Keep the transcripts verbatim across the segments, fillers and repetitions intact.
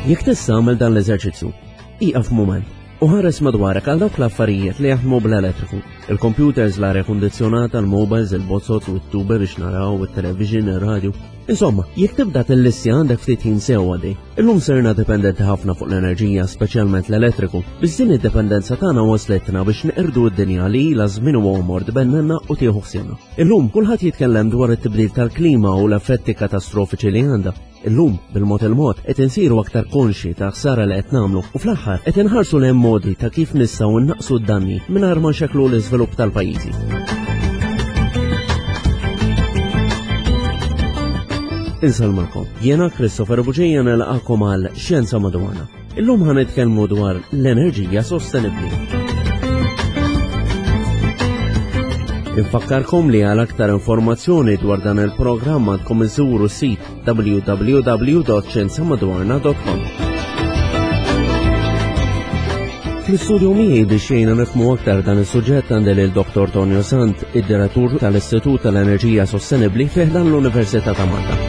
Jekk tista' għamel dan l-eżerċizzju, ieqaf mument u ħares madwarek għal dawk l-affarijiet li jaħdmu bl-elettriku. Il-computers, l-arja kundizzjonata, il-mobiles, il-bozzot u t-tube biex naraw, il-television, il-radio. Insomma, jekk tibda tillistja għandek ftit ħin sew għaddej. Illum sirna dipendenti ħafna fuq l-enerġija, speċjalment l-elettriku. Biss din id-dipendenza tagħna waslitna biex neqirdu d-dinja li ilha żmien u għomor tbennenna u tieħu ħsiebna. Illum kulħadd jitkellem dwar it-tibdil tal-klima u l-effetti katastrofiċi li għandha. Illum, bil-mod il-mod, qed insiru aktar konxi ta' ħsara li qed nagħmlu u fl-aħħar qed inħarsu lejn modi ta' kif nistgħu nnaqqsu d-danni mingħajr ma nxekklu l-iżvilupp tal-pajjiżi. Insellmilkom, jiena Christopher Bugeja nilqagħkom għal Xjenza Madwarna. Illum ħa nitkellmu dwar l-enerġija sostenibbli. Infakkarkom li għal aktar informazzjoni dwar dan il-programm għandkom iżuru s-sit w w w dot xjenza madwarna dot com. Fl-istudju miegħi biex jgħinna nifhmu aktar dan is-suġġett għandi lil Doktor Tonio Sant, id-direttur tal-Istitut tal-Enerġija Sostenibbli fi ħdan l-Università ta' Malta.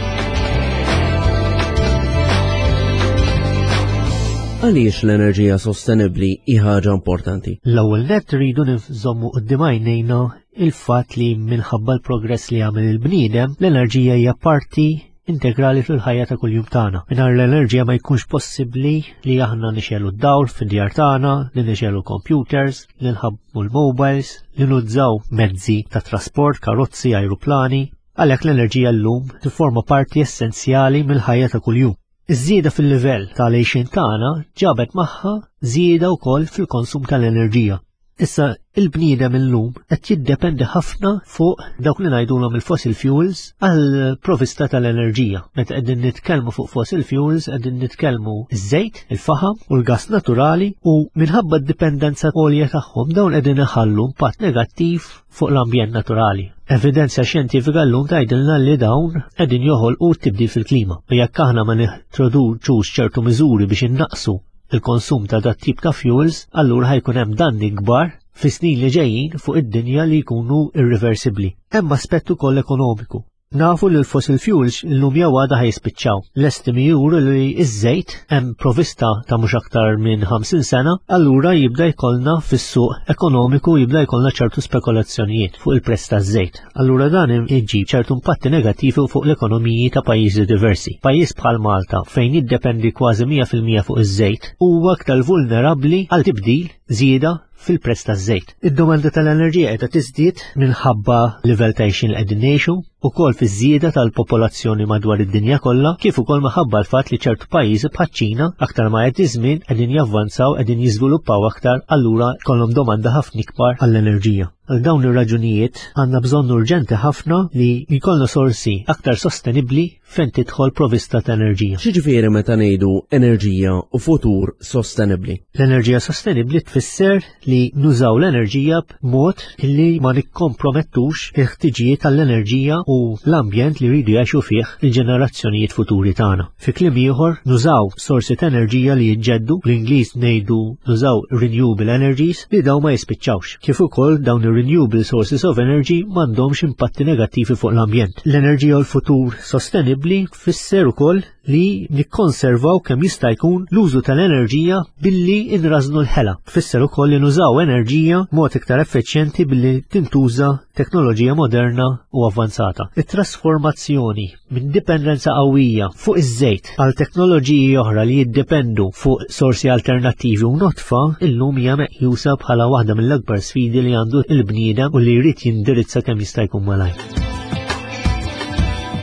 Għaliex l-enerġija sostenibbli hi ħaġa importanti? L-ewwel nett rridu nżommu quddiem għajnejna il-fatt li minħabba l-progress li għamel il-bniedem, l-enerġija hija parti integrali fil-ħajja ta' kuljum tagħna. Mingħajr l-enerġija ma jkunx possibbli li aħna nixegħlu d-dawl fid-djar tagħna, li nixegħlu computers, li nħabbmu l-mobiles, li nużaw mezzi ta' trasport, karozzi, ajruplani. Għalhekk l-enerġija llum tifforma parti essenzjali mill-ħajja ta' kuljum. Iż-żieda fil-livell tal-għixien tagħna ġabet magħha żieda wkoll fil-konsum tal-enerġija. Issa il-bniedem illum qed jiddependi ħafna fuq dawk li ngħidulhom il-fossil fuels għal provista tal-enerġija. Meta qegħdin nitkellmu fuq fossil fuels qegħdin nitkellmu iż-żejt, il-faħam u l-gas naturali u minħabba d-dipendenza għolja tagħhom dawn qegħdin iħallu impatt negattiv fuq l-ambjent naturali. Evidenza xjentifika llum tgħidilna li dawn qegħdin joħolqu tibdil fil-klima. U jekk aħna ma nintroduċux ċertu miżuri biex innaqsu il-konsum ta' dat tip ta' fuels, allura ħajkun hemm danni kbar fis-snin li ġejjin fuq id-dinja li jkunu irreversibbli. Hemm aspett ukoll ekonomiku. Nafu li l-fossil fuels illum jew għada ħajspiċċaw. L-estimi juru li iż-żejt hemm provista ta' mhux aktar minn ħamsin sena, allura jibda jkollna fis-suq ekonomiku jibda jkollna ċertu spekulazzjonijiet fuq il-prezz taż-żejt. Allura dan iġib ċertu impatti negattivi fuq l-ekonomiji ta' pajjiżi diversi. Pajjiż bħal Malta fejn jiddependi kważi mija fil-mija fuq iż-żejt huwa aktar vulnerabbli għal tibdil żieda fil-prezz taż-żejt. Id-domanda tal-enerġija qiegħda tiżdied minħabba livell ta' għixien li qegħdin ngħixu, ukoll fiż-żieda tal-popolazzjoni madwar id-dinja kollha, kif ukoll minħabba l-fatt li ċertu pajjiżi bħaċ-Ċina aktar ma jgħaddi żmien qegħdin javvanzaw, qegħdin jiżviluppaw aktar, allura jkollhom domanda ħafna ikbar għall-enerġija. Għal dawn ir-raġunijiet għandna bżonn urġenti ħafna li jkollna sorsi aktar sostenibbli fejn tidħol provista ta' enerġija. X'jiġifieri meta ngħidu enerġija u futur sostenibbli? L-enerġija sostenibbli tfisser li nużaw l-enerġija b'mod li ma nikkompromettux il-ħtiġijiet tal-enerġija u l-ambjent li jridu jgħixu fih il-ġenerazzjonijiet futuri tagħna. Fi kliem ieħor, nużaw sorsi ta' enerġija li jiġġeddu, bl-Ingliż ngħidu nużaw renewable energies li dawn ma jispiċċawx. Kif ukoll dawn ir-renewable sources of energy m'għandhomx impatti negattivi fuq l-ambjent. L-enerġija u l-futur sostenibbli tfisser ukoll li nikkonservaw kemm jista' jkun l-użu tal-enerġija billi nrażnu l-ħela. Tfisser ukoll li nużaw enerġija b'mod iktar effiċjenti billi tintuża teknoloġija moderna u avvanzata. It-trasformazzjoni minn dipendenza qawwija fuq iż-żejt għal teknoloġiji oħra li jiddependu fuq sorsi alternattivi u notfa illum hija meqjusa bħala waħda mill-akbar sfidi li għandu il-bniedem u li jrid jindirizza kemm jista' jkun malajr.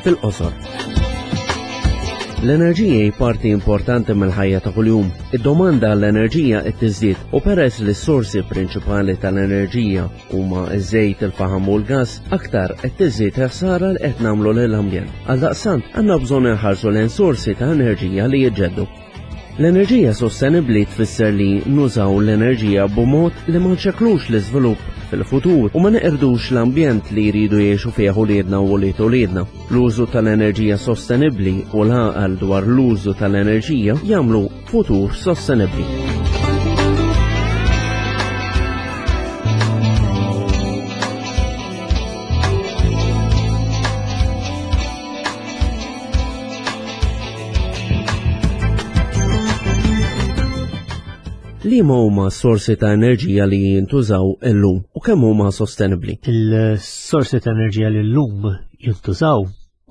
Fil-qosor. L-enerġija hi parti importanti mill-ħajja ta' kuljum. Id-domanda għall-enerġija qed tiżdied u peress li s-sorsi prinċipali tal-enerġija huma ż-żejt, il-faħam u l-gass, aktar qed tiżdied ħsara li qed nagħmlu lill-ambjent. Għaldaqstant għandna bżonn inħarsu lejn sorsi ta' enerġija li jiġġeddu. L-enerġija sostenibbli tfisser li nużaw l-enerġija b'mod li ma nxekklux l-iżvilupp fil-futur u ma neqirdux l-ambjent li jridu jgħixu fih uliedna u ulied uliedna. L-użu tal-enerġija sostenibbli u l-għaqal dwar l-użu tal-enerġija jagħmlu futur sostenibbli. Liema huma sorsi ta' enerġija li jintużaw illum u kemm huma sostenibbli? Il-sorsi ta' enerġija li llum jintużaw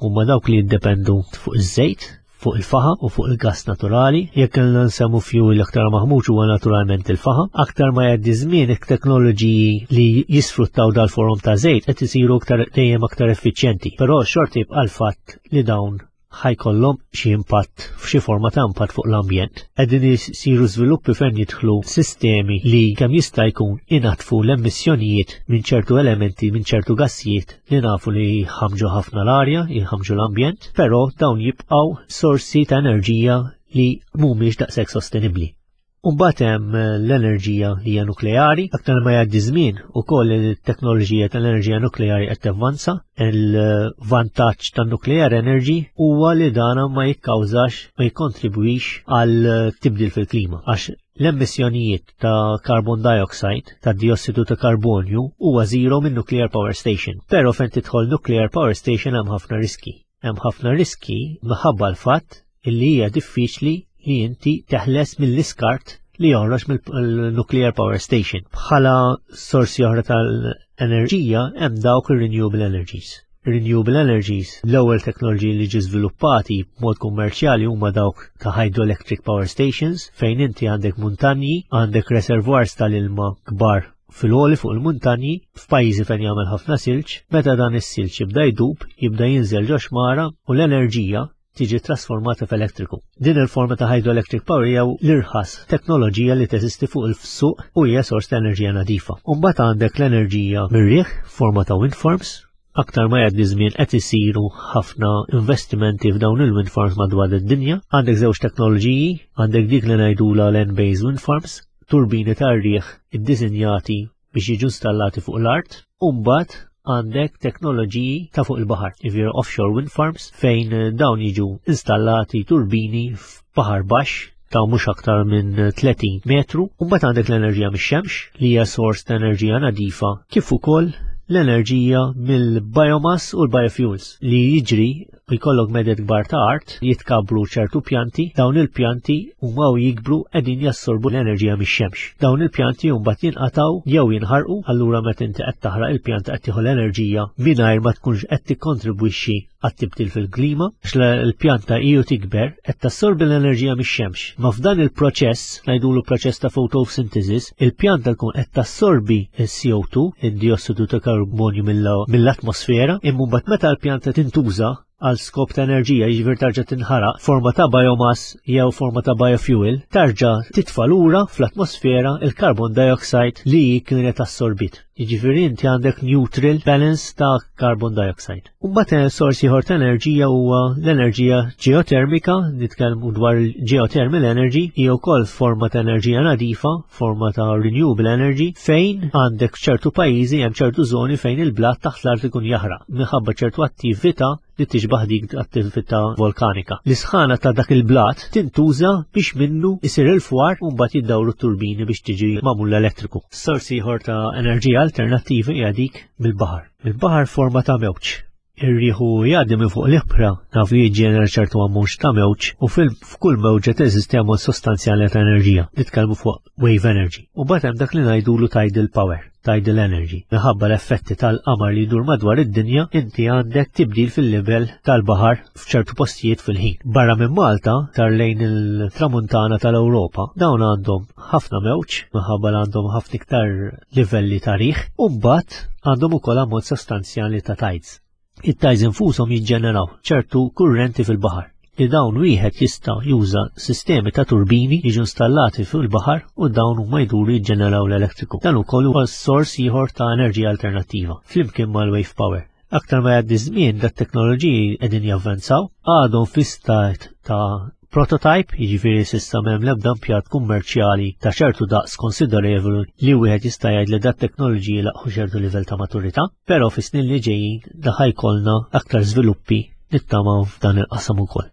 huma dawk li jiddependu fuq iż-żejt, fuq il-faħam u fuq il-gas naturali. Jekk kellna nsemmu fuel l-aktar maħmuġ huwa naturalment il-faħam. Aktar ma jgħaddi żmien, it-teknoloġiji li jisfruttaw dal-forom ta' żejt qed isiru aktar dejjem aktar effiċjenti. Però xorta jibqa' l-fatt li dawn ħa jkollhom xi impatt, f'xi forma ta' impatt fuq l-ambjent. Qegħdin isiru żviluppi fejn jidħlu sistemi li kemm jista' jkun inaddfu l-emissjonijiet minn ċertu elementi, minn ċertu gassijiet li nafu li jħamġu ħafna l-arja, jħamġu l-ambjent, però dawn jibqgħu sorsi ta' enerġija li mhumiex daqshekk sostenibbli. Umbagħad hemm l-enerġija li hija nukleari. Aktar ma jgħaddi żmien ukoll it-teknoloġija tal-enerġija nukleari qed tavvanza. Il-vantaġġ tan-nuclear energy huwa li dana ma jikkawżax, ma jikkontribwix għal tibdil fil-klima, għax l-emissjonijiet ta' carbon dioxide, ta' diossidu ta' karbonju, huwa zero minn nuclear power station. Però fejn tidħol nuclear power station hemm ħafna riski. Hemm ħafna riski minħabba l-fatt illi hija diffiċli li inti teħles mill-iskart li joħroġ mill-nuclear power station. Bħala sorsi oħra tal-enerġija hemm dawk ir-renewable energies. Renewable energies, l-ewwel teknoloġiji li ġi żviluppati b'mod kummerċjali huma dawk ta' hydroelectric power stations, fejn inti għandek muntanji, għandek reservoirs tal-ilma kbar fil-għoli fuq il-muntanji, f'pajjiżi fejn jagħmel ħafna silġ. Meta dan is-silġ jibda jdub, jibda jinżel ġo xmara u l-enerġija tiġi trasformata f'elettriku. Din il-forma ta' hydroelectric power hija l-irħas teknoloġija li teżisti fuq il-suq u hija sors ta' enerġija nadifa. Umbagħad għandek l-enerġija mir-riħ, forma ta' wind farms. Aktar ma jgħaddi żmien qed isiru ħafna investimenti f'dawn il-wind farms madwar id-dinja. Għandek żewġ teknoloġiji, għandek dik li ngħidula land-based wind farms, turbini tar-riħ iddisinjati biex jiġu installati fuq l-art, u mbagħad għandek teknoloġiji ta' fuq il-baħar, jiġifieri offshore wind farms, fejn dawn jiġu installati turbini f'baħar baxx ta' mhux aktar minn tletin metru. U mbagħad għandek l-enerġija mix-xemx li hija sors ta' enerġija nadifa, kif ukoll l-enerġija mill-biomass u l-biofuels li jiġri jkollok meded kbar ta' art, jitkabru ċertu pjanti, dawn il-pjanti huma u jikbru qegħdin jassorbu l-enerġija mix-xemx. Dawn il-pjanti mbagħad jinqataw jew jinħarqu, allura meta inti qed taħraq il-pjanta qed tieħu l-enerġija mingħajr ma tkunx qed tikkontribwixxi għat-tibdil fil-klima, għax l-pjanta iju tikber qed tassorbi l-enerġija mix-xemx. Ma f'dan il-proċess, ngħidulu proċess ta' photosynthesis, il-pjanta tkun qed tassorbi il-C O two, id-diossidu ta' karbonju, mill-atmosfera, imma mbagħad meta l-pjanta tintuża għal skop ta' enerġija, jiġifieri tarġa' tinħaraq forma ta' biomass jew forma ta' biofuel, tarġa' titfa' lura fl-atmosfera il-carbon dioxide li kienet assorbit. Jiġifieri inti għandek neutral balance ta' carbon dioxide. U mbagħad sorsi ieħor ta' enerġija huwa l-enerġija ġeotermika, nitkellmu dwar geothermal energy, hija wkoll forma ta' enerġija nadifa, forma ta' renewable energy, fejn għandek ċertu pajjiżi, hemm ċertu żoni fejn il-blat taħt l-art ikun jaħraq minħabba ċertu attività li tixbaħ dik attività volkanika. L-isħana ta' dak il-blat tintuża biex minnu isir il-fwar u mbagħad jiddawru turbini biex tiġi magħmul l-elettriku. Sorsi ieħor ta' enerġija alternattivi hija dik mill-baħar. Mill-baħar forma ta' mewġ. Ir-riħu jgħaddi minn fuq l-ibħra naf li jiġġenera ċertu ammont ta' mewġ u f'kull mewġa teżisti ammont sostanzjali ta' enerġija. Nitkellmu fuq wave energy. U mbagħad hemm dak li ngħidulu tidal power, tidal energy. Minħabba l-effetti tal-qamar li jdur madwar id-dinja, inti għandek tibdil fil-livell tal-baħar f'ċertu postijiet fil-ħin. Barra minn Malta, tar lejn il-tramuntana tal-Ewropa, dawn għandhom ħafna mewġ, minħabba li għandhom ħafna iktar livelli ta' riħ, u mbagħad għandhom ukoll ammont sostanzjali ta' tides. It-tides infushom jiġġeneraw ċertu kurrenti fil-baħar li dawn wieħed jista' juża sistemi ta' turbini jiġu installati fuq il-baħar u dawn huma jduru jiġġeneraw l-elettriku. Dan ukoll huwa sors ieħor ta' enerġija alternattiva flimkien mal-wave power. Aktar ma jgħaddi żmien, dat teknoloġiji qegħdin javvanzaw, għadhom fi stat ta' prototype, jiġifieri s'issa m'hemm l-ebda impjant kummerċjali ta' ċertu daqs konsiderevoli li wieħed jista' jgħid li dat teknoloġiji laħqu ċertu livell ta' maturità, però fis-snin li ġejjin da ħa jkollna aktar żviluppi, nittamaw, f'dan il-qasam ukoll.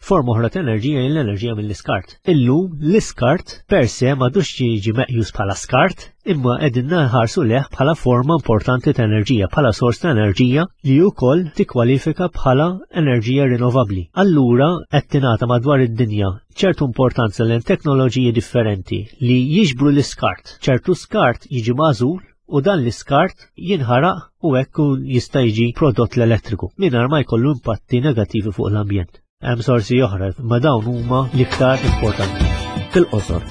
Forma oħra ta' enerġija hija l-enerġija mill-iskart. Illum l-iskart per se m'għadux jiġi meqjus bħala skart, imma qegħdin nħarsu lejh bħala forma importanti ta' enerġija, bħala sors ta' enerġija li wkoll tikkwalifika bħala enerġija rinnovabbli. Allura qed tingħata madwar id-dinja ċertu importanza lejn teknoloġiji differenti li jiġbru l-iskart. ċertu skart jiġi magħżul u dan l-iskart jinħaraq u hekk jista' jiġi prodott l-elettriku mingħajr ma jkollu impatti negattivi fuq l-ambjent. Hemm sorsi oħra, ma dawn huma l-iktar importanti. Fil-qosor.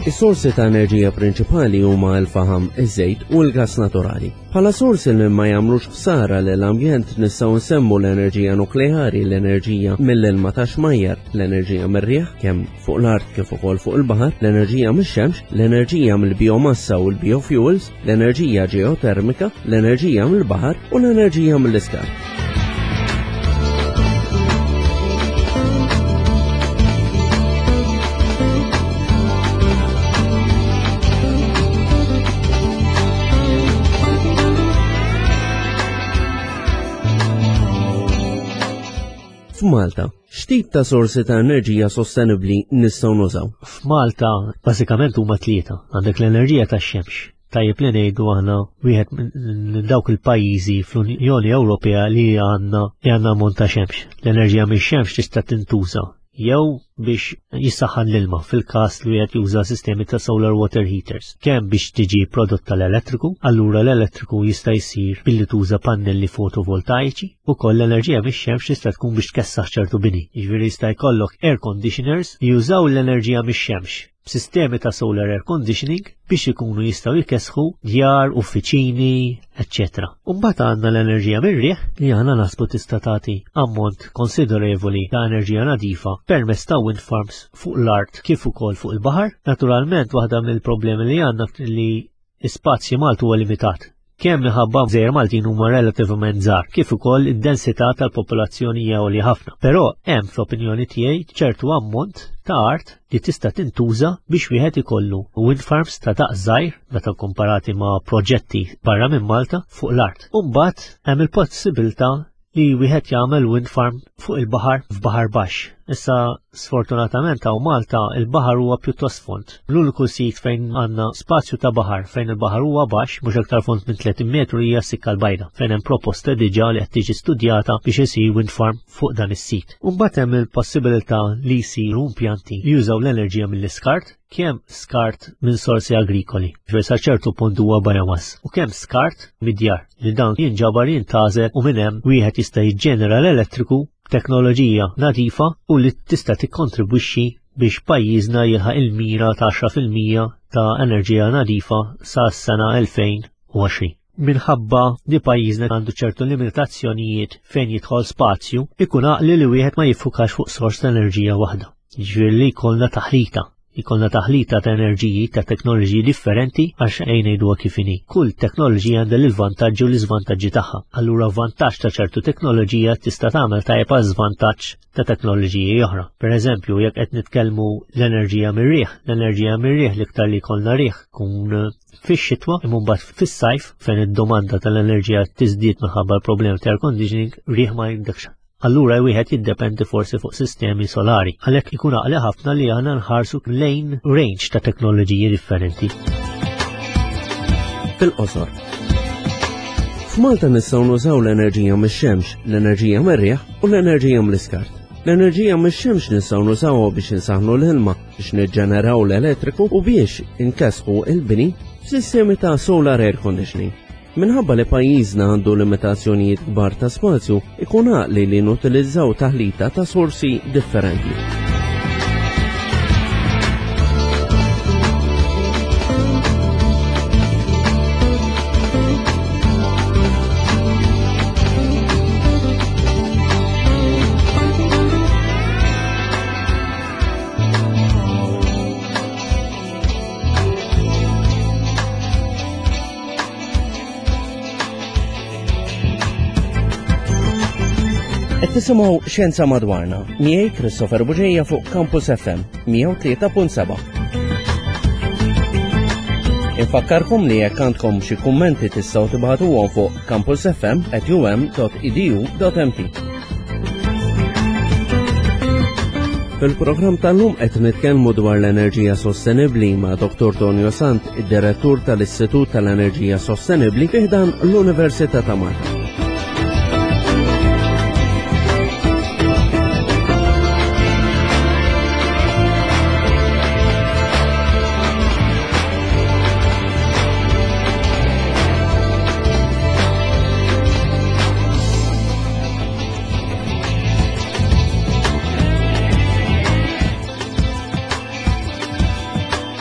Is-sorsi ta' enerġija prinċipali huma l-faħam, iż-żejt u l-gas naturali. Bħala sorsi li ma jagħmlux ħsara lill-ambjent nistgħu nsemmu l-enerġija nukleari, l-enerġija mill-ilma ta' xmajjar, l-enerġija mir-riħ kemm fuq l-art kif ukoll fuq il-baħar, l-enerġija mix-xemx, l-enerġija mill-biomassa u l-biofuels, l-enerġija ġeotermika, l-enerġija mill-baħar u l-enerġija mill-iskart. F'Malta, x'tip ta' sorsi ta' enerġija sostenibbli nistgħu nużaw? F'Malta bażikament huma tlieta. Għandek l-enerġija tax-xemx. Tajjeb li ngħidu aħna wieħed minn dawk il-pajjiżi fl-Unjoni Ewropea li għandna li għandna ammont ta' xemx. L-enerġija mix-xemx tista' tintuża jew biex jissaħħan l-ilma fil-każ li wieħed juża sistemi ta' solar water heaters. Kemm biex tiġi prodotta l-elettriku, allura l-elettriku jista' jsir billi tuża pannelli fotovoltaiċi, ukoll l-enerġija mix-xemx tista' tkun biex tkessaħ ċertu bini. Jiġifieri jista' jkollok air conditioners li jużaw l-enerġija mix-xemx b'sistemi ta' solar air conditioning biex ikunu jistgħu jkessħu djar, uffiċini, eċċetera. U mbagħad għandna l-enerġija mir-riħ li aħna naħsbu tista' tagħti ammont konsiderevoli ta' enerġija nadifa permezz ta' wind farms fuq l-art kif ukoll fuq il-baħar. Naturalment waħda mill-problemi li għandna li l-ispazju Malti huwa limitat. Kemm minħabba gżejjer Maltin huma relattivament żgħar, kif ukoll id-densità tal-popolazzjoni hija għolja ħafna. Però hemm fl-opinjoni tiegħi ċertu ammont ta' art li tista' tintuża biex wieħed ikollu wind farms ta' daqs żgħir meta komparati ma' proġetti barra minn Malta fuq l-art. U mbagħad hemm il-possibilità li wieħed jagħmel wind farm fuq il-baħar f'baħar baxx. Issa sfortunatament hawn Malta il-baħar huwa pjuttost fond. L-uniku sit fejn għandna spazju ta' baħar fejn il-baħar huwa baxx mhux aktar fond minn tletin metru hija s-Sikka l-Bajda, fejn hemm proposta diġà li qed tiġi studjata biex isir wind farm fuq dan is-sit. U mbagħad hemm il-possibilità li jsiru impjanti li jużaw l-enerġija mill-iskart, kemm skart minn sorsi agrikoli, ġifieri sa ċertu punt huwa biomass, u kemm skart mid-djar li dan jinġabar jintgħażel u minn hemm wieħed jista' jiġġenera l-elettriku b'teknoloġija nadifa u li tista' tikkontribwixxi biex pajjiżna jilħaq il-mira ta' għaxra fil-mija ta' enerġija nadifa sa' s-sena elfejn u għoxrin. Minħabba li pajjiżna għandu ċertu limitazzjonijiet fejn jidħol spazju, ikun għaqli li wieħed ma jiffukax fuq sors ta' enerġija waħda. Jiġifieri li jkollna taħlita. Jkollna taħlita ta' enerġiji ta' teknoloġiji differenti għax ejn ngħiduha kif inhi. Kull teknoloġija għandha l-vantaġġi u l-iżvantaġġi tagħha. Allura vantaġġ ta' ċertu teknoloġija tista' tagħmel tajjeb għal żvantaġġ ta' teknoloġiji oħra. Per eżempju, jekk qed nitkellmu l-enerġija mir-riħ, l-enerġija mir-riħ l-iktar li jkollna riħ kun fix-xitwa, imma mbagħad fis-sajf fejn id-domanda tal-enerġija tiżdied minħabba l-problemi ta' air conditioning, riħ ma jindekx. Allura wieħed jiddependi forsi fuq sistemi solari. Għalhekk ikun għaqli ħafna li aħna nħarsu lejn range ta' teknoloġiji differenti. Fil-qosor. F'Malta nistgħu nużaw l-enerġija mix-xemx, l-enerġija mir-riħ u l-enerġija mill-iskart. L-enerġija mix-xemx nistgħu nużawha biex insaħħnu l-ilma, biex niġġeneraw l-elettriku u biex inkessħu il-bini f'sistemi ta' solar air conditioning. Minħabba li pajjiżna għandu limitazzjonijiet kbar ta' spazju, ikun għaqli li nutilizzaw taħlita ta' sorsi differenti. Tisimgħu Xjenza Madwarna, miegħi Christopher Bugeja fuq Campus F M mija u tlieta punt seba'. Infakkarkom li jekk għandkom xi kummenti tistgħu tibagħtuhom fuq campus f m at u m dot e d u dot m t. Fil-programm tal-lum qed nitkellmu dwar l-enerġija sostenibbli ma' Dottor Tonio Sant, id-Direttur tal-Istitut tal-Enerġija Sostenibbli fi ħdan l-Università ta' Malta.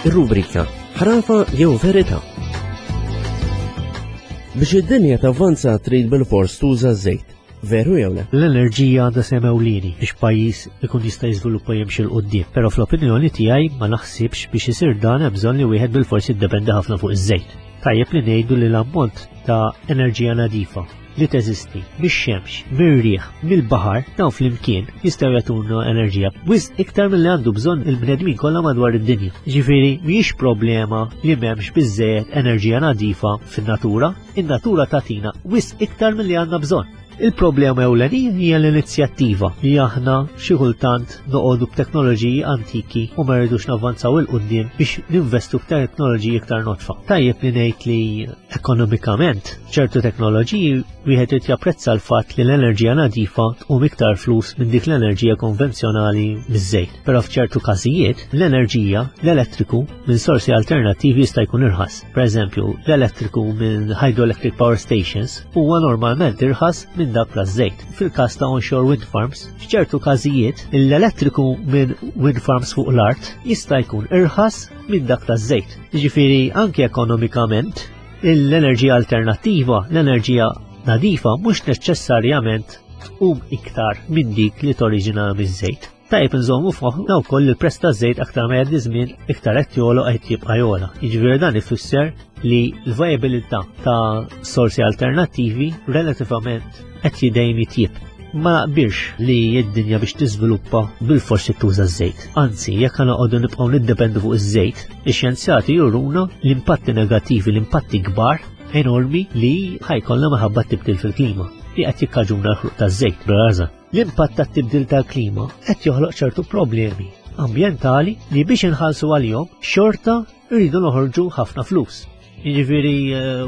Ir-rubrika Ħrafa jew Verità. Biex id-dinja tavvanza trid bil-fors tuża ż-żejt. Veru jew le? L-enerġija għandha sehem ewlieni biex pajjiż ikun jista' jiżviluppa jimxi 'l quddiem, però fl-opinjoni tiegħi ma naħsibx biex isir dan hemm bżonn li wieħed bil-fors jiddependi ħafna fuq iż-żejt. Tajjeb li ngħidu li l-ammont ta' enerġija nadifa li teżisti mix-xemx, mir-riħ, mill-baħar, dawn flimkien jistgħu jagħtuna enerġija wisq iktar milli għandu bżonn il-bnedmin kollha madwar id-dinja. Ġifieri mhijiex problema li m'hemmx biżżejjed enerġija nadifa fin-natura, in-natura tagħtina wisq iktar milli għandna bżonn. Il-problema ewlenija hija l-inizjattiva li aħna xi kultant noqogħdu b'teknoloġiji antiki u ma rridux navvanzaw 'il quddiem biex ninvestu f'teknoloġiji iktar nodfa. Tajjeb li ngħid li ekonomikament ċertu teknoloġiji wieħed irid japprezza l-fatt li l-enerġija nadifa tqum iktar flus minn dik l-enerġija konvenzjonali miż-żejt. Però f'ċertu każijiet l-enerġija, l-elettriku minn sorsi alternattivi jista' jkun irħas. Pereżempju, l-elettriku minn hydroelectric power stations huwa normalment irħas minn dak taż-żejt. Fil-każ ta' onshore wind farms, f'ċertu każijiet l-elettriku minn wind farms fuq l-art jista' jkun irħas minn dak taż-żejt. Jiġifieri anke ekonomikament l-enerġija alternattiva, l-enerġija nadifa mhux neċessarjament tqum iktar minn dik li toriġina miż-żejt. Tajjeb nżommu f'moħħna wkoll li l-prezz taż-żejt aktar ma jgħaddi żmien iktar qed jogħla qed jibqa' jogħla. Jiġifieri dan ifisser li l-vijabilità ta' sorsi alternattivi relativament qed jidejjem jitjieb. Ma naqbilx li d-dinja biex tiżviluppa bil-forsi tuża ż-żejt. Anzi, jekk noqogħdu nibqgħu niddependu fuq iż-żejt, ix-xjenzjati juruna l-impatti negattivi, l-impatti kbar enormi li ħa jkollna minħabba tibdil fil-klima li qed jikkaġuna l-ħruq taż-żejt bl-raża. L-impatt tat-tibdil tal-klima qed joħloq ċertu problemi ambjentali li biex inħallsu għalihom xorta rridu noħorġu ħafna flus. Jiġifieri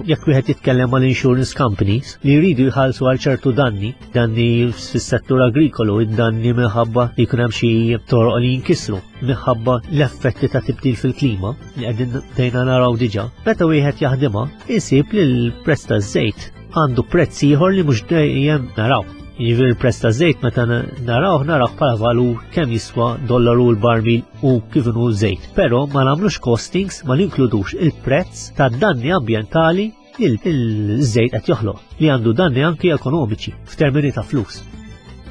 jekk wieħed jitkellem mal insurance companies li jridu jħallsu għal ċertu danni, danni fis-settur agrikolu, id-danni minħabba li jkun hemm xi toroq li jinkisru minħabba l-effetti ta' tibdil fil-klima li qegħdin dejna naraw diġà. Meta wieħed jaħdimha, isib li l-prezz taż-żejt għandu prezz ieħor li mhux dejjem naraw. Jiġifieri l-prezz taż-żejt meta narawh narawh bħala valur kemm jiswa dollaru l-barmil u kif inhu żejt. Però ma nagħmlux costings, ma ninkludux il-prezz tad-danni ambjentali li l-żejt qed joħloq, li għandu danni anki ekonomiċi f'termini ta' flus.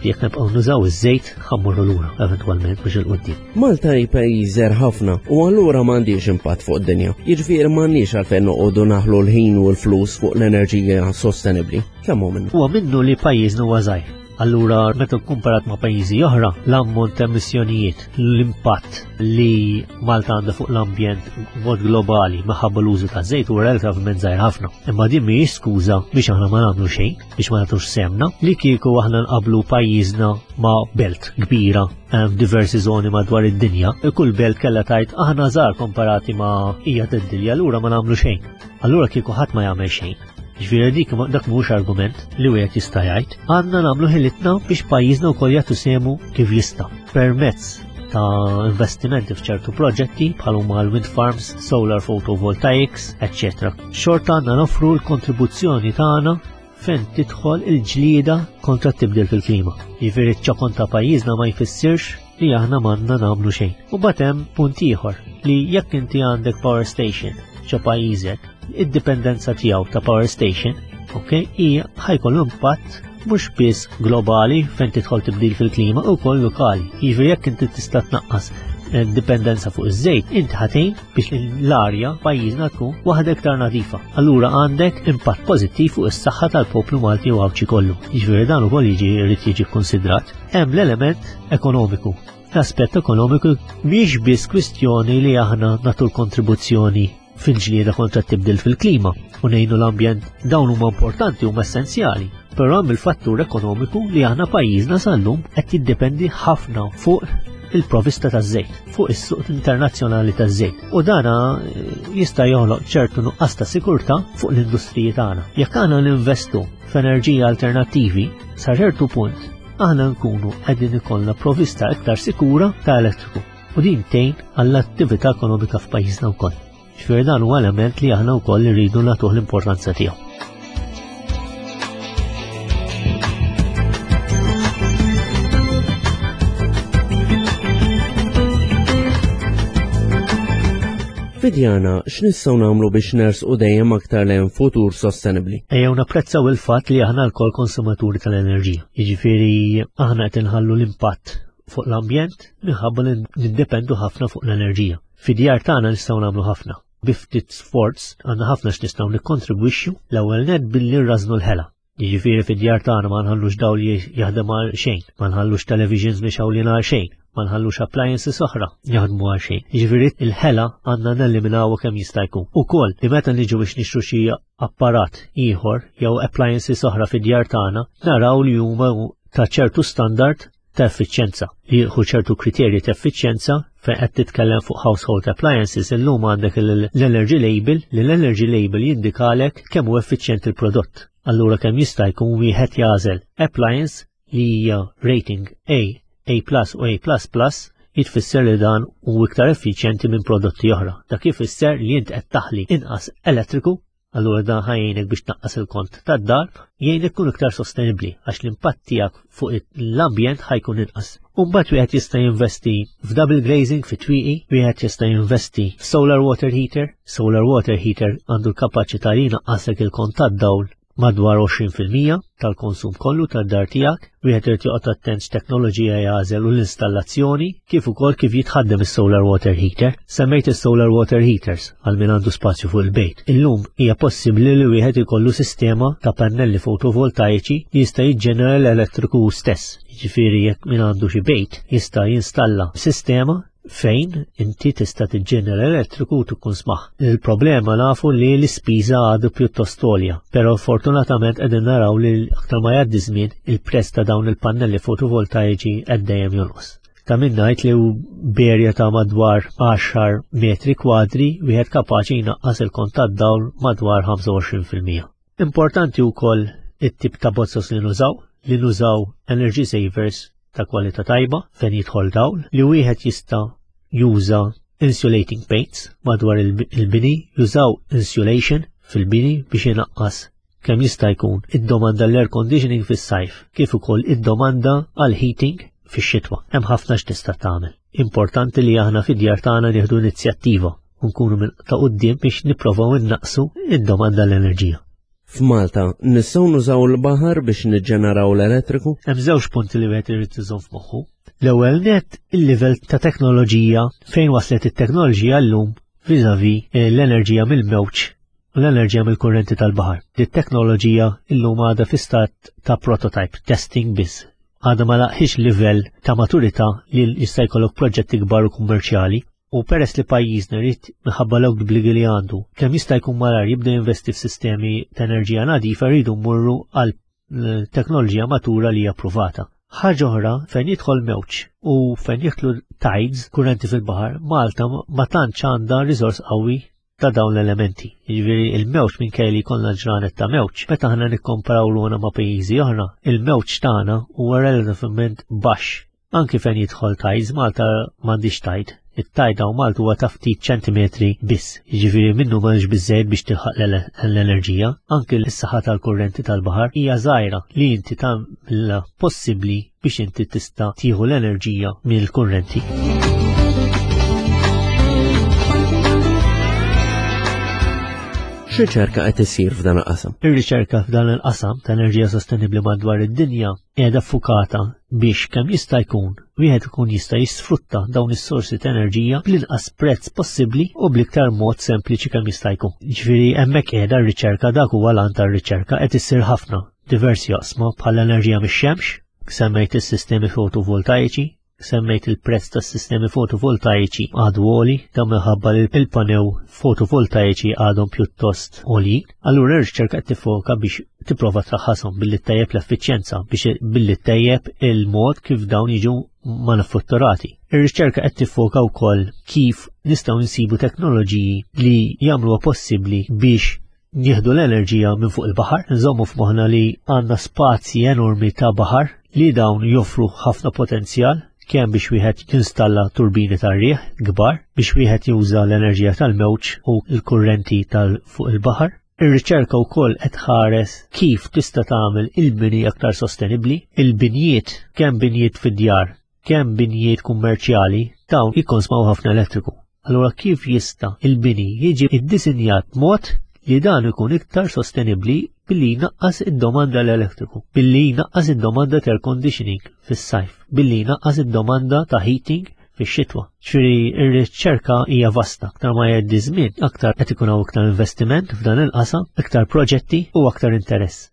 Jekk nibqgħu nużaw iż-żejt ħa mmorru lura eventwalment biex 'il quddiem. Malta hi pajjiż żgħir ħafna u allura m'għandix impatt fuq id-dinja. Jiġifieri m'għandniex għalfejn noqogħdu naħlu l-ħin u l-flus fuq l-enerġija sostenibbli. Kemm hu minnu? Huwa minnu li pajjiżna huwa żgħir. Allura meta kkumparat ma' pajjiżi oħra, l-ammont ta' emissjonijiet, l-impatt li Malta għandha fuq l-ambjent b'mod globali minħabba l-użu ta' żejt huwa relattivament żgħir ħafna. Imma din mhijiex skuża biex aħna ma nagħmlu xejn, biex ma nagħtux sehemna, li kieku aħna nqablu pajjiżna ma' belt kbira f'diversi żoni madwar id-dinja, kull belt kellha tgħid aħna żgħar komparati ma' hija tad-dinja, allura ma nagħmlu xejn. Allura kieku ħadd ma jagħmel xejn. Ġifieri dik dak mhux argument li wieħed jista' jgħid. Għandna nagħmlu ħilitna biex pajjiżna wkoll jagħtu sehmu kif jista' permezz ta' investimenti f'ċertu proġetti bħal huma l-wind farms, solar photovoltaics, eċċetera. Xorta għandna noffru l-kontribuzzjoni tagħna fejn tidħol il-ġlieda kontra t-tibdil fil-klima. Jiġifieri ċ-ċokon ta' pajjiżna ma jfissirx li aħna m'għandna nagħmlu xejn. U mbagħad hemm punt ieħor li jekk inti għandek power station ġo pajjiżek, id-dipendenza tiegħu ta' power station, ok, hija ħa jkollu impatt mhux biss globali fejn tidħol tibdil fil-klima u wkoll lokali. Jiġifieri jekk inti tista' tnaqqas dipendenza fuq iż-żejt, inti ħa tgħin biex l-arja pajjiżna tkun waħda iktar nadifa. Allura għandek impatt pożittiv fuq is-saħħa tal-poplu Malti u Għawdxi kollu. Jiġifieri dan ukoll jiġi jrid jiġi kkonsidrat. Hemm l-element ekonomiku. L-aspett ekonomiku mhix biss kwistjoni li aħna nagħtu l-kontribuzzjoni fil-ġlieda kontra t-tibdil fil-klima u ngħinu l-ambjent, dawn huma importanti huma essenzjali. Però hemm il-fattur ekonomiku li aħna pajjiżna sal-lum qed jiddependi ħafna fuq il-provista taż-żejt, fuq is-suq internazzjonali taż-żejt. U dana eh, jista' joħloq ċertu nuqqas ta' sikurtà fuq l-industriji tagħna. Jekk aħna ninvestu f'enerġija alternattivi, sa ċertu punt aħna nkunu qegħdin ikollna provista iktar sikura ta' elettriku u din tgħin għall-attività ekonomika f'pajjiżna wkoll. Ġifieri dan huwa element li aħna wkoll irridu nagħtuh l-importanza tiegħu. Fidjana, x'nistgħu nagħmlu biex nersqu dejjem aktar lejn futur sostenibbli? Ejjew napprezzaw il-fatt li aħna lkoll konsumaturi tal-enerġija. Jiġifieri aħna qed inħallu l-impatt fuq l-ambjent minħabba li niddependu ħafna fuq l-enerġija. Fid-djar tagħna nistgħu nagħmlu ħafna. Bi ftit sforz għandna ħafna x'nistgħu nikkontribwixxu l-ewwel nett billi nrażnu l-ħela. Jiġifieri fid-djar tagħna ma nħallux dawl jaħdem għal xejn, ma nħallux televisions mixgħulin għal xejn, ma nħallux appliances oħra jaħdmu għal xejn. Jiġifieri il-ħela għandna neliminaw kemm jista' jkun. Ukoll li meta niġu biex nixtru xi apparat ieħor jew appliances oħra fid-djar tagħna, naraw li huma ta' ċertu standard ta' effiċjenza, li jieħu ċertu kriterji ta' effiċjenza fejn qed titkellem fuq household appliances illum għandek l-energy label li l-energy label jindikalek kemm hu effiċjenti il-prodott. Allura kemm jista' jkun wieħed jagħżel appliance li hija rating A, A plus u A plus plus jitfisser li dan hu iktar effiċjenti minn prodotti oħra. Dak ifisser li int qed taħli inqas elettriku, allura dan ħa jgħinek biex tnaqqas il-kont tad-dar, jgħinek tkun iktar sostenibbli għax l-impatt tiegħek fuq l-ambjent ħa jkun inqas. U mbagħad wieħed jista' jinvesti f'double glazing fi twieqi, wieħed jista' jinvesti f'solar water heater. Solar water heater għandu l-kapaċità li jnaqqaslek il-kont tad-dawl madwar għoxrin fil-mija tal-konsum kollu tad-dar tiegħek. Wieħed irid joqgħod attent x'teknoloġija jagħżel u l-installazzjoni kif ukoll kif jitħaddem is-solar water heater. Semmejt is-solar water heaters għal min għandu spazju fuq il-bejt. Illum hija possibbli li wieħed ikollu sistema ta' pannelli fotovoltaiċi li jista' jiġġenera l-elettriku stess. Jiġifieri jekk min għandu xi bejt jista' jinstalla sistema fejn inti tista' tiġġenera elettriku u tkun smaħ. Il-problema nafu li l-ispiża għadu pjuttost għolja, però fortunatament qegħdin naraw li aktar ma jgħaddi żmien il-prezz ta' dawn il-pannelli fotovoltaiċi qed dejjem jonqos. Ta' min ngħid li b'erja ta' madwar għaxar metri kwadri wieħed kapaċi jnaqqas il-kont tad-dawl madwar ħamsa u għoxrin fil-mija. Importanti wkoll it-tip ta' bozzos li nużaw, li nużaw energy savers ta' kwalità tajba fejn jidħol dawl, li wieħed jista' juża insulating paints madwar il-bini, jużaw insulation fil-bini biex inaqqas kemm jista' jkun id-domanda l-air conditioning fis-sajf, kif ukoll id-domanda għal heating fix-xitwa. Hemm ħafna x'tista' tagħmel. Importanti li aħna fid-djar tagħna nieħdu inizjattiva u nkunu minn ta' quddiem biex nipprovaw innaqsu id-domanda l-enerġija. F'Malta nistgħu nużaw l-baħar biex niġġeneraw l-elettriku? Hemm żewġ punti li wieħed irid iżomm f'moħħu. L-ewwel nett il-livell ta' teknoloġija fejn waslet it-teknoloġija llum vis-à-vis l-enerġija mill-mewġ u l-enerġija mill-kurrenti tal-baħar. Di teknoloġija llum għadha fi stat ta' prototype, testing biss. Għadha ma laqħix livell ta' maturità li jista' jkollok proġetti kbar u kummerċjali. U peress li pajjiżna jrid minħabba l-obbligi li għandu, kemm jista' jkun malar jibda jinvesti f'sistemi ta' enerġija nadifa jridu mmorru għal teknoloġija matura li hija approvata. Ħaġa oħra fejn jidħol mewġ u fejn jidħlu tides, kurrenti fil-baħar, Malta ma tantx għandha riżors qawwi ta' dawn l-elementi. Jiġifieri il-mewġ minkejja li jkollna ġranet ta' mewġ, meta aħna nikkomparaw ruħna ma' pajjiżi oħra, il-mewġ tagħna huwa relattivament baxx. Anki fejn jidħol tides, Malta m'għandix tide. It-tide hawn Malta huwa ta' ftit ċentimetri biss, jiġifieri minnu m'għandx biżżejjed biex tilħaq l-enerġija. Anki l-saħħa tal-kurrenti tal-baħar hija żgħira li inti tagħmilha possibbli biex inti tista' tieħu l-enerġija mill-kurrenti. X'riċerka qed isir f'dan il-qasam? Ir-riċerka f'dan il-qasam ta' enerġija sostenibbli madwar id-dinja qiegħda ffukata biex kemm jista' jkun wieħed ikun jista' jisfrutta dawn is-sorsi ta' enerġija bl-inqas prezz possibbli u bl-iktar mod sempliċi kemm jista' jkun. Ġifieri hemmhekk qiegħda r-riċerka, dak huwa l-għan tar-riċerka, qed issir ħafna diversi oqsma bħal enerġija mix-xemx, semmejt is-sistemi fotovoltaiċi, semmejt il-prezz tas-sistemi fotovoltaiċi għadu għoli, dan minħabba li il-panew fotovoltaiċi għadhom pjuttost għoljin. Allura r-riċerka qed tiffoka biex tipprova traħħashom billi ttejjeb l-effiċjenza, biex billi ttejjeb il-mod kif dawn jiġu manifatturati. Ir-riċerka qed tiffoka wkoll kif nistgħu nsibu teknoloġiji li jagħmluha possibbli biex nieħdu l-enerġija minn fuq il-baħar. Nżommu f'moħħna li għandna spazji enormi ta' baħar li dawn joffru ħafna potenzjal, kemm biex wieħed jinstalla turbini tar-riħ kbar, biex wieħed juża l-enerġija tal-mewġ u l-kurrenti tal fuq il-baħar. Ir-riċerka wkoll qed tħares kif tista' tagħmel il-bini aktar sostenibbli. Il-binjiet, kemm binjiet fid-djar, kemm binjiet kummerċjali, dawn jikkonsmaw ħafna elettriku. Allura kif jista' il-bini jiġi iddisinjat mod li dan ikun iktar sostenibbli billi jnaqqas id-domanda l-elettriku, billi jnaqqas id-domanda ta' air conditioning fis-sajf, billi jnaqqas id-domanda ta' heating fix-xitwa. Ġifieri r-riċerka hija vasta, aktar ma jgħaddi żmien, aktar qed ikun hawn iktar investiment f'dan il-qasam, iktar proġetti u aktar interess.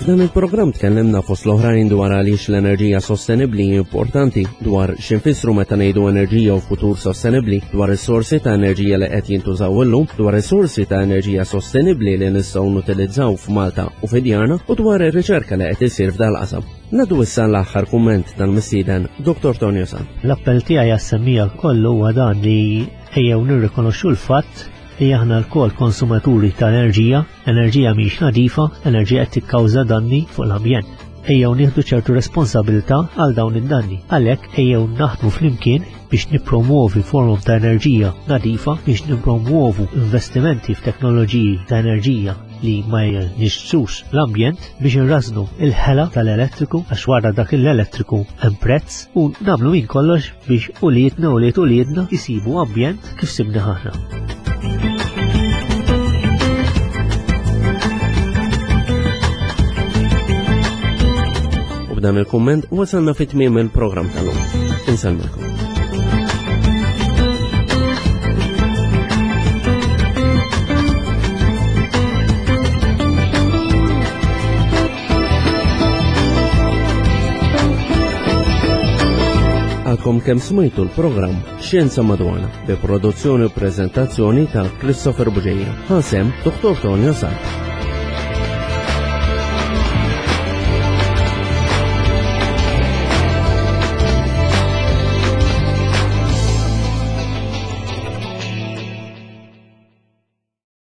F'dan il-programm tkellimna fost l-oħrajn dwar għaliex l-enerġija sostenibbli importanti, dwar x'infissru meta ngħidu enerġija u futur sostenibbli, dwar is-sorsi ta' enerġija li qed jintużaw illum, dwar is-sorsi ta' enerġija sostenibbli li nistgħu nutilizzaw f'Malta u fi djarna, u dwar ir-riċerka li qed isir f'dal-qasam. Nadu issa l-aħħar kumment tal-mistieden Doktor Tonio Sant. L-appell tiegħi għas-semmija kollu huwa dan li ejjew nirrikonoxxu l-fatt li aħna lkoll konsumaturi ta' enerġija, enerġija mhix nadifa, enerġija qed tikkawża danni fuq l-ambjent. Ejjew nieħdu ċertu responsabilità għal dawn id-danni. Għalhekk ejjew naħdmu flimkien biex nippromuovi forum ta' enerġija nadifa, biex nippromuovu investimenti f'teknoloġiji ta' enerġija li ma jnixxux l-ambjent, biex nrażnu il-ħela tal-elettriku, għax wara dak l-elettriku hemm prezz, u nagħmlu minn kollox biex uliedna u ulied uliedna jsibu ambjent kif sibna aħna. U b'dan il-kumment wasalna fi tmiem il-programm tal-lum. Insellmilkom. Għadkom kemm smajtu l-programm Xjenza Madwarna bi produzzjoni u prezentazzjoni ta' Christopher Bugeja. Ħasem Doktor Tonio Sant.